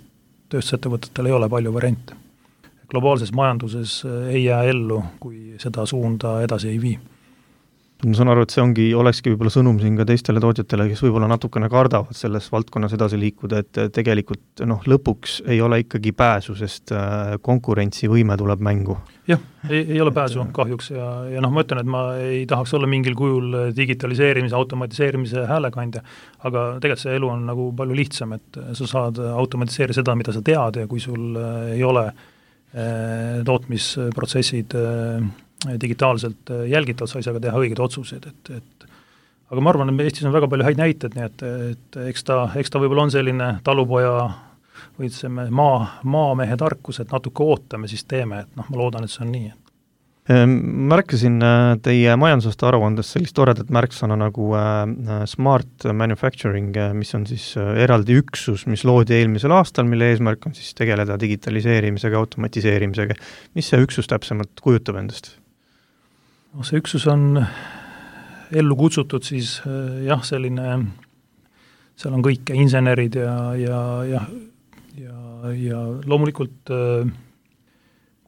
tööstusettevõtetel ei ole palju variante. Globaalses majanduses ei jää ellu, kui seda suunda edasi ei vii. Ma saan aru, et see ongi, olekski võib-olla sõnum siin ka teistele tootjatele, kes võib-olla natukene kardavad selles valdkonnas edasi liikuda, et tegelikult noh, lõpuks ei ole ikkagi pääsu, sest konkurentsivõime tuleb mängu. Jah, ei, ei ole pääsu kahjuks ja, ja noh, ma ütlen, et ma ei tahaks olla mingil kujul digitaliseerimise, automatiseerimise häälekandja, aga tegelikult see elu on nagu palju lihtsam, et sa saad automatiseerida seda, mida sa tead ja kui sul ei ole eh, tootmisprotsessid eh, digitaalselt jälgitavad, sa ei saa ka teha õigeid otsuseid, et, et aga ma arvan, et Eestis on väga palju häid näited, nii et, et eks ta, eks ta võib-olla on selline talupoja või ütlesime maa, maamehe tarkus, et natuke ootame, siis teeme, et noh, ma loodan, et see on nii. Märkasin teie majandusaasta aruandes sellist toredat märksõna nagu smart manufacturing, mis on siis eraldi üksus, mis loodi eelmisel aastal, mille eesmärk on siis tegeleda digitaliseerimisega, automatiseerimisega. Mis see üksus täpsemalt kujutab endast? No, see üksus on ellu kutsutud siis jah, selline, seal on kõik insenerid ja, ja, ja, ja, ja loomulikult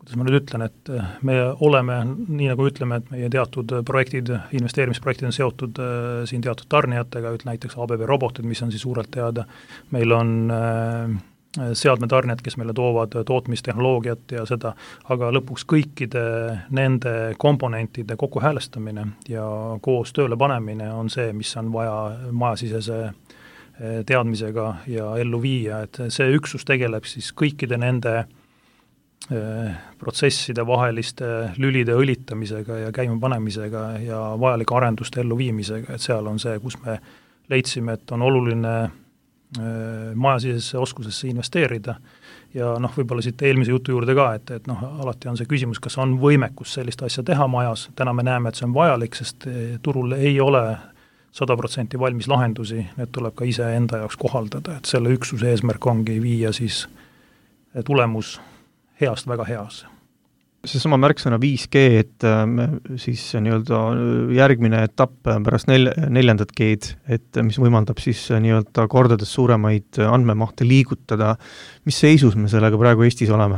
kuidas ma nüüd ütlen, et me oleme, nii nagu ütleme, et meie teatud projektid, investeerimisprojektid on seotud äh, siin teatud tarnijatega, ütle näiteks A B B robotid, mis on siis suurelt teada, meil on äh, seadmetarnijad, kes meile toovad tootmistehnoloogiat ja seda, aga lõpuks kõikide nende komponentide kokkuhäälestamine ja koos tööle panemine on see, mis on vaja majasisese teadmisega ja ellu viia, et see üksus tegeleb siis kõikide nende protsesside vaheliste lülide õlitamisega ja käimapanemisega ja vajalike arenduste elluviimisega, et seal on see, kus me leidsime, et on oluline majasisesse oskusesse investeerida ja noh, võib-olla siit eelmise jutu juurde ka, et, et noh, alati on see küsimus, kas on võimekus sellist asja teha majas, täna me näeme, et see on vajalik, sest turul ei ole sada protsenti valmis lahendusi, need tuleb ka ise enda jaoks kohaldada, et selle üksuse eesmärk ongi viia siis tulemus heast väga heas. See sama märksõna viis G, et siis nii-öelda järgmine etapp pärast nel- neljandat G-d, et mis võimaldab siis nii-öelda kordades suuremaid andmemahte liigutada. Mis seisus me sellega praegu Eestis oleme?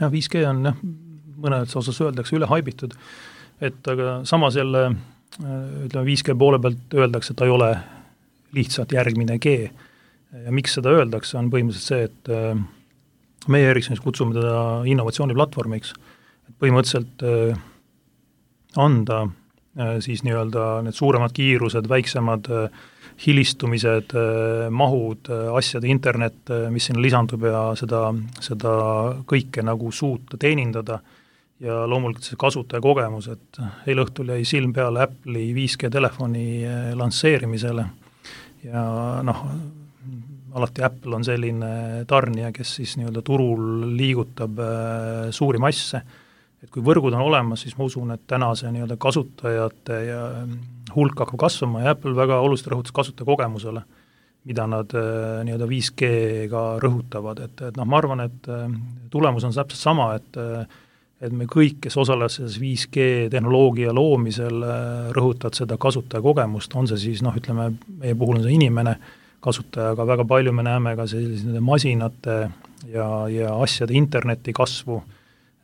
Ja viis G on jah, mõnes osas öeldakse üle haibitud, et aga samas jälle ütleme viis G poole pealt öeldakse, et ta ei ole lihtsalt järgmine G. Ja miks seda öeldakse, on põhimõtteliselt see, et meie Ericssonis kutsume teda innovatsiooniplatvormiks, et põhimõtteliselt äh, anda äh, siis nii-öelda need suuremad kiirused, väiksemad äh, hilistumised, äh, mahud, äh, asjade internet, äh, mis sinna lisandub ja seda, seda kõike nagu suuta teenindada ja loomulikult see kasutaja kogemus, et eile õhtul jäi silm peale Apple'i viis G telefoni äh, lansseerimisele ja noh, alati Apple on selline tarnija, kes siis nii-öelda turul liigutab äh, suuri masse, et kui võrgud on olemas, siis ma usun, et täna see nii-öelda kasutajate ja hulk hakkab kasvama ja Apple väga oluliselt rõhutas kasutaja kogemusele, mida nad äh, nii-öelda viis G-ga rõhutavad, et, et noh, ma arvan, et äh, tulemus on täpselt sama, et äh, et me kõik, kes osalevad selles viis G tehnoloogia loomisel, äh, rõhutavad seda kasutaja kogemust, on see siis, noh, ütleme, meie puhul on see inimene, kasutaja, aga väga palju me näeme ka selliste masinate ja, ja asjade interneti kasvu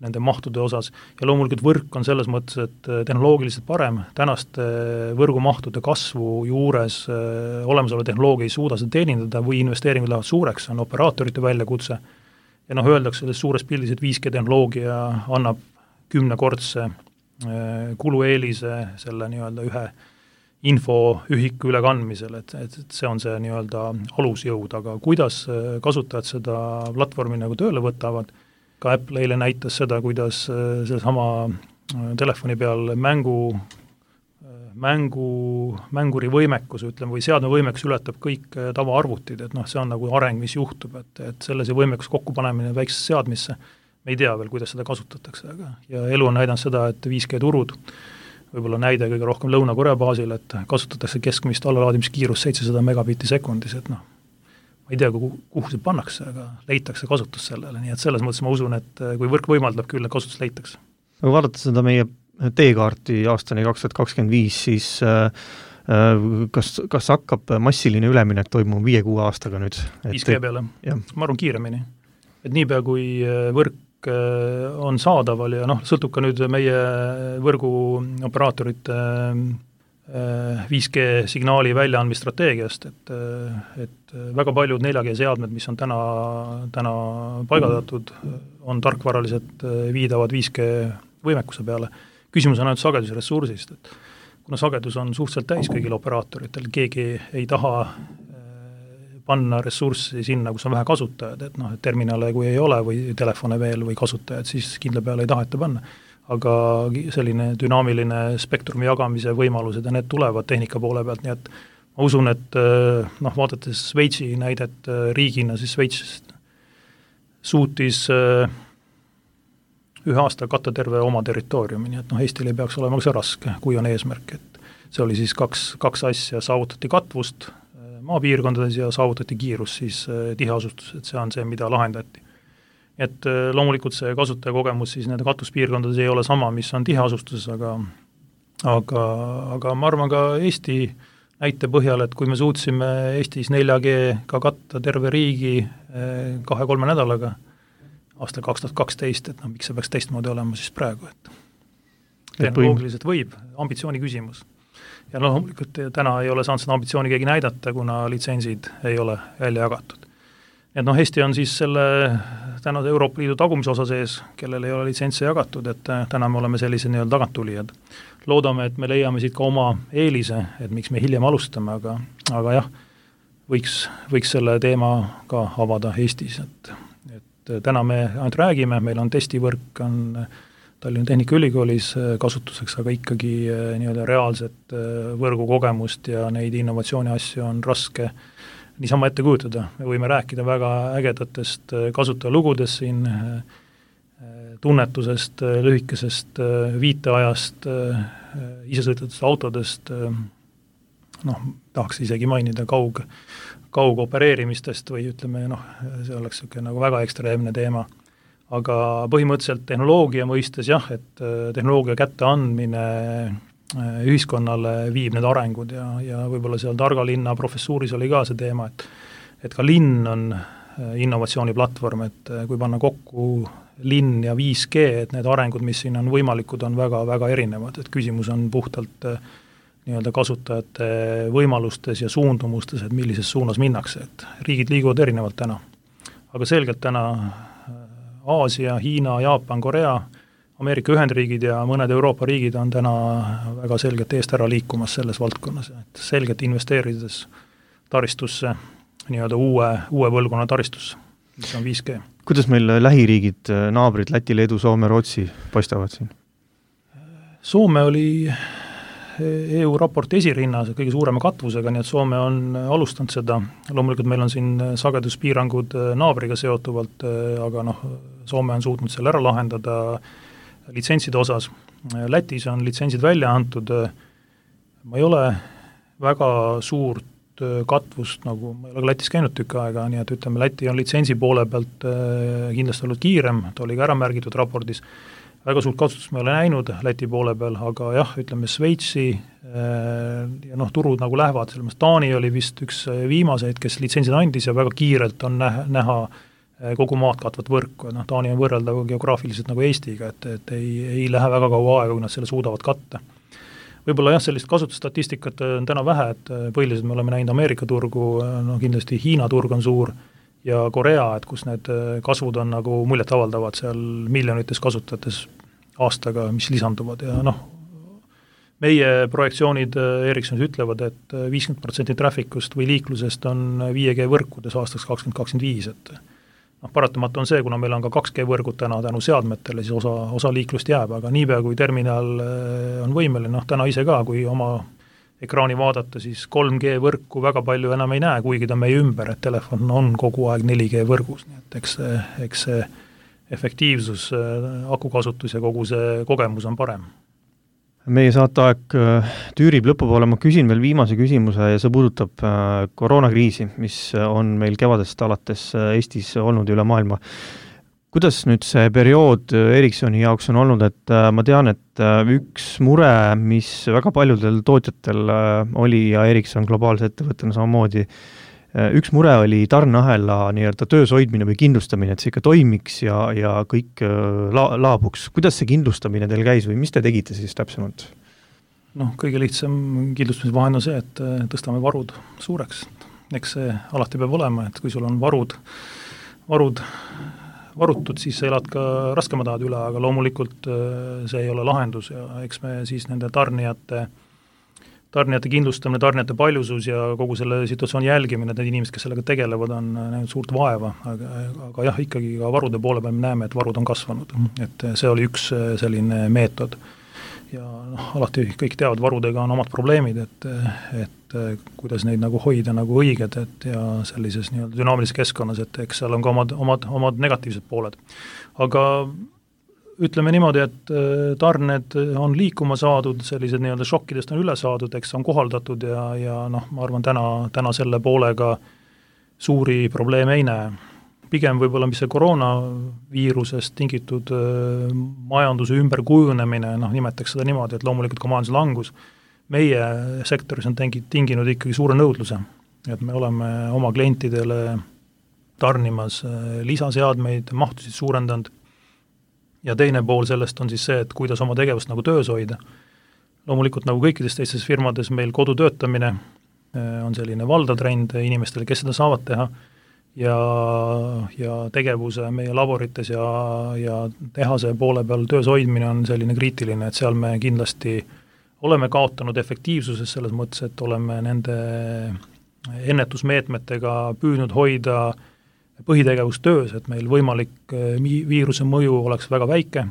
nende mahtude osas ja loomulikult võrk on selles mõttes, et tehnoloogiliselt parem, tänaste võrgumahtude kasvu juures olemasolu tehnoloogia ei suuda seda teenindada või investeeringud lähevad suureks, on operaatorite väljakutse ja noh, öeldakse selles suures pildis, et viis G tehnoloogia annab kümnekordse kulueelise selle nii-öelda ühe infoühiku ülekandmisel, et, et, et see on see nii-öelda alusjõud, aga kuidas kasutajad seda platvormi nagu tööle võtavad, ka Apple eile näitas seda, kuidas sellesama telefoni peal mängu, mängu, mänguri võimekus, ütleme, või seadme võimekus ületab kõik tavaarvutid, et noh, see on nagu areng, mis juhtub, et, et selle see võimekus kokkupanemine väiksesse seadmisse, me ei tea veel, kuidas seda kasutatakse, aga ja elu on näidanud seda, et viis G turud võib-olla näide kõige rohkem Lõuna-Korea baasil, et kasutatakse keskmist allalaadimiskiirust seitsesada megabitti sekundis, et noh, ma ei tea, kuhu, kuhu see pannakse, aga leitakse kasutus sellele, nii et selles mõttes ma usun, et kui võrk võimaldab, küll kasutus leitakse. Aga vaadata seda meie teekaarti aastani kaks tuhat kakskümmend viis, siis kas, kas hakkab massiline üleminek toimuma viie-kuue aastaga nüüd? viis G peale, ma arvan kiiremini. Et niipea kui võrk on saadaval ja noh, sõltub ka nüüd meie võrguoperaatorite viis G signaali väljaandmisstrateegiast, et, et väga paljud nelja G seadmed, mis on täna, täna paigaldatud, on tarkvaraliselt viidavad viis G võimekuse peale. Küsimus on ainult sagedusressursist, et kuna sagedus on suhteliselt täis kõigil operaatoritel, keegi ei taha panna ressurssi sinna, kus on vähe kasutajad, et noh, et terminale kui ei ole või telefone veel või kasutajad, siis kindla peale ei taheta panna. Aga selline dünaamiline spektrumi jagamise võimalused ja need tulevad tehnika poole pealt, nii et ma usun, et noh, vaadates Šveitsi näidet riigina, siis Šveits suutis ühe aasta katta terve oma territooriumi, nii et noh, Eestil ei peaks olema ka see raske, kui on eesmärk, et see oli siis kaks, kaks asja, saavutati katvust maapiirkondades ja saavutati kiirus siis tiheasustus, et see on see, mida lahendati. Et loomulikult see kasutajakogemus siis nende katuspiirkondades ei ole sama, mis on tiheasustuses, aga aga, aga ma arvan ka Eesti näite põhjal, et kui me suutsime Eestis nelja G ka katta terve riigi kahe-kolme nädalaga aastal kaks tuhat kaksteist, et noh, miks see peaks teistmoodi olema siis praegu, et tehnoloogiliselt võib, ambitsiooni küsimus. Ja loomulikult täna ei ole saanud seda ambitsiooni keegi näidata, kuna litsentsid ei ole välja jagatud. Et noh, Eesti on siis selle tänase Euroopa Liidu tagumise osa sees, kellel ei ole litsentse jagatud, et täna me oleme sellised nii-öelda taganttulijad. Loodame, et me leiame siit ka oma eelise, et miks me hiljem alustame, aga, aga jah, võiks, võiks selle teema ka avada Eestis, et, et täna me ainult räägime, meil on testivõrk, on Tallinna Tehnikaülikoolis kasutuseks, aga ikkagi nii-öelda reaalset võrgukogemust ja neid innovatsiooni asju on raske niisama ette kujutada. Me võime rääkida väga ägedatest kasutajalugudest siin, tunnetusest, lühikesest viiteajast, isesõitvatest autodest, noh, tahaks isegi mainida kaug, kaugopereerimistest või ütleme, noh, see oleks niisugune nagu väga ekstreemne teema. Aga põhimõtteliselt tehnoloogia mõistes jah, et tehnoloogia kätteandmine ühiskonnale viib need arengud ja, ja võib-olla seal Targa linna professuuris oli ka see teema, et, et ka linn on innovatsiooniplatvorm, et kui panna kokku linn ja viis G, et need arengud, mis siin on võimalikud, on väga, väga erinevad, et küsimus on puhtalt nii-öelda kasutajate võimalustes ja suundumustes, et millises suunas minnakse, et riigid liiguvad erinevalt täna. Aga selgelt täna Aasia, Hiina, Jaapan, Korea, Ameerika Ühendriigid ja mõned Euroopa riigid on täna väga selgelt eest ära liikumas selles valdkonnas, et selgelt investeerides taristusse, nii-öelda uue, uue põlvkonna taristusse, mis on viis G. Kuidas meil lähiriigid, naabrid, Läti, Leedu, Soome, Rootsi paistavad siin? Soome oli E U raporti esirinnas kõige suurema katvusega, nii et Soome on alustanud seda, loomulikult meil on siin sageduspiirangud naabriga seotuvalt, aga noh, Soome on suutnud selle ära lahendada litsentside osas. Lätis on litsentsid välja antud, ma ei ole väga suurt katvust, nagu ma ei ole Lätis käinud tükk aega, nii et ütleme, Läti on litsentsi poole pealt kindlasti olnud kiirem, ta oli ka ära märgitud raportis, väga suurt kasutust me ei ole näinud Läti poole peal, aga jah, ütleme Sveitsi ja noh, turud nagu lähevad, selles Taani oli vist üks viimaseid, kes litsentsid andis ja väga kiirelt on näha, näha kogu maad katvat võrku, noh, Taani on võrreldav geograafiliselt nagu Eestiga, et, et ei, ei lähe väga kaua aega, kui nad selle suudavad katta. Võib-olla jah, sellist kasutusstatistikat on täna vähe, et põhiliselt me oleme näinud Ameerika turgu, no kindlasti Hiina turg on suur, ja Korea, et kus need kasvud on nagu muljet avaldavad seal miljonites kasutajates aastaga, mis lisanduvad ja noh, meie projektsioonid Ericssonis ütlevad, et viiskümmend protsenti trafficust või liiklusest on viis G võrkudes aastaks kakskümmend kakskümmend viis, et noh, paratamatu on see, kuna meil on ka kaks G võrgud täna tänu seadmetele, siis osa, osa liiklust jääb, aga niipea kui terminal on võimeline, noh täna ise ka, kui oma ekraani vaadata, siis kolm G võrku väga palju enam ei näe, kuigi ta meie ümber, et telefon on kogu aeg neli G võrgus, nii et eks see, eks see efektiivsus, akukasutus ja kogu see kogemus on parem. Meie saateaeg tüürib lõpupoole, ma küsin veel viimase küsimuse ja see puudutab koroonakriisi, mis on meil kevadest alates Eestis olnud üle maailma. Kuidas nüüd see periood Ericssoni jaoks on olnud, et ma tean, et üks mure, mis väga paljudel tootjatel oli ja Ericsson globaalse ettevõttena samamoodi, üks mure oli tarneahela nii-öelda töös hoidmine või kindlustamine, et see ikka toimiks ja, ja kõik la, laabuks. Kuidas see kindlustamine teil käis või mis te tegite siis täpsemalt? Noh, kõige lihtsam kindlustamisvahend on see, et tõstame varud suureks. Eks see alati peab olema, et kui sul on varud, varud varutud, siis sa elad ka raskemad ajad üle, aga loomulikult see ei ole lahendus ja eks me siis nende tarnijate, tarnijate kindlustamine, tarnijate paljusus ja kogu selle situatsiooni jälgimine, need inimesed, kes sellega tegelevad, on näinud suurt vaeva, aga, aga jah, ikkagi ka varude poole peal me näeme, et varud on kasvanud, et see oli üks selline meetod. Ja noh, alati kõik teavad, varudega on omad probleemid, et, et kuidas neid nagu hoida nagu õiged, et ja sellises nii-öelda dünaamilises keskkonnas, et eks seal on ka omad, omad, omad negatiivsed pooled. Aga ütleme niimoodi, et tarned on liikuma saadud, sellised nii-öelda šokkidest on üle saadud, eks on kohaldatud ja, ja noh, ma arvan, täna, täna selle poolega suuri probleeme ei näe. Pigem võib-olla, mis see koroonaviirusest tingitud majanduse ümberkujunemine, noh, nimetaks seda niimoodi, et loomulikult ka majanduslangus meie sektoris on tinginud ikkagi suure nõudluse, et me oleme oma klientidele tarnimas lisaseadmeid, mahtusid suurendanud ja teine pool sellest on siis see, et kuidas oma tegevust nagu töös hoida. Loomulikult nagu kõikides teistes firmades meil kodutöötamine on selline valdatrend inimestele, kes seda saavad teha ja, ja tegevuse meie laborites ja, ja tehase poole peal töös hoidmine on selline kriitiline, et seal me kindlasti oleme kaotanud efektiivsuses selles mõttes, et oleme nende ennetusmeetmetega püüdnud hoida põhitegevustöös, et meil võimalik viiruse mõju oleks väga väike.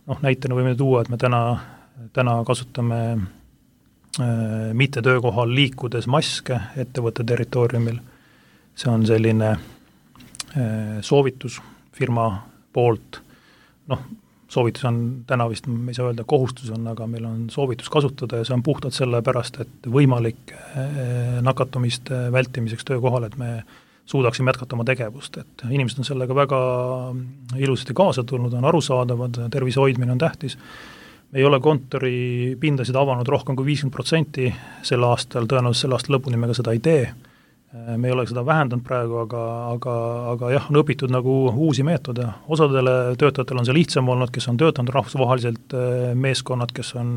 Noh, näitena võime tuua, et me täna, täna kasutame äh, mitte töökohal liikudes maske ettevõtte territooriumil. See on selline äh, soovitus firma poolt. Noh, soovitus on täna vist, me ei saa öelda, kohustus on, aga meil on soovitus kasutada ja see on puhtalt selle pärast, et võimalik äh, nakatumiste vältimiseks töökohal, et me suudaksime jätkata oma tegevust, et inimesed on sellega väga ilusasti kaasa tulnud, on arusaadavad, tervise hoidmine on tähtis. Me ei ole kontori pindasid avanud rohkem kui viiskümmend protsenti sel aastal, tõenäoliselt sel aasta lõpuni me ka seda ei tee. Me ei ole seda vähendanud praegu, aga, aga, aga jah, on õpitud nagu uusi meetode. Osadele töötajatel on see lihtsam olnud, kes on töötanud rahvusvaheliselt meeskonnad, kes on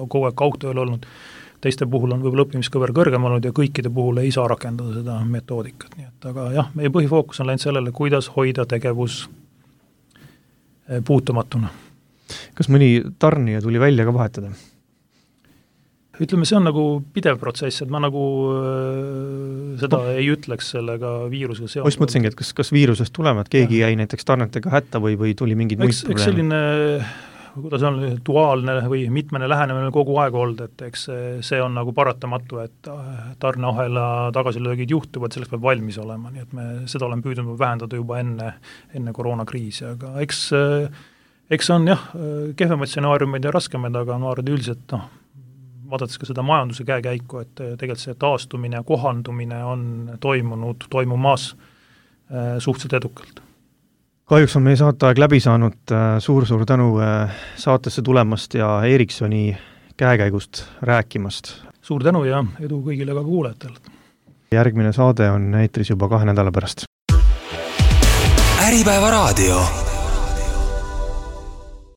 kogu aeg kaugtööl olnud. Teiste puhul on võib-olla õppimiskõver kõrgem olnud ja kõikide puhul ei saa rakendada seda metoodikat. Nii et, aga jah, meie põhifookus on läinud sellele, kuidas hoida tegevus puutumatuna. Kas mõni tarnija tuli välja ka vahetada? Ütleme, see on nagu pidev protsess, et ma nagu äh, seda no. ei ütleks sellega viirusega seonduvalt. Ma just mõtlesingi, et kas, kas viirusest tulema, et keegi ja. jäi näiteks tarnetega hätta või, või tuli mingid muid probleeme? Eks selline kuidas on duaalne või mitmene lähenemine kogu aeg olnud, et eks see on nagu paratamatu, et tarneahela tagasilöögid juhtuvad, selleks peab valmis olema, nii et me seda oleme püüdnud vähendada juba enne, enne koroonakriisi, aga eks, eks on jah, kehvemaid stsenaariumeid ja raskemaid, aga ma arvan üldiselt, noh, vaadates ka seda majanduse käekäiku, et tegelikult see taastumine ja kohandumine on toimunud, toimumas suhteliselt edukalt. Kahjuks on meie saateaeg läbi saanud, suur-suur tänu saatesse tulemast ja Ericssoni käekäigust rääkimast. Suur tänu ja edu kõigile ka kuulajatele. Järgmine saade on eetris juba kahe nädala pärast. Äripäeva raadio.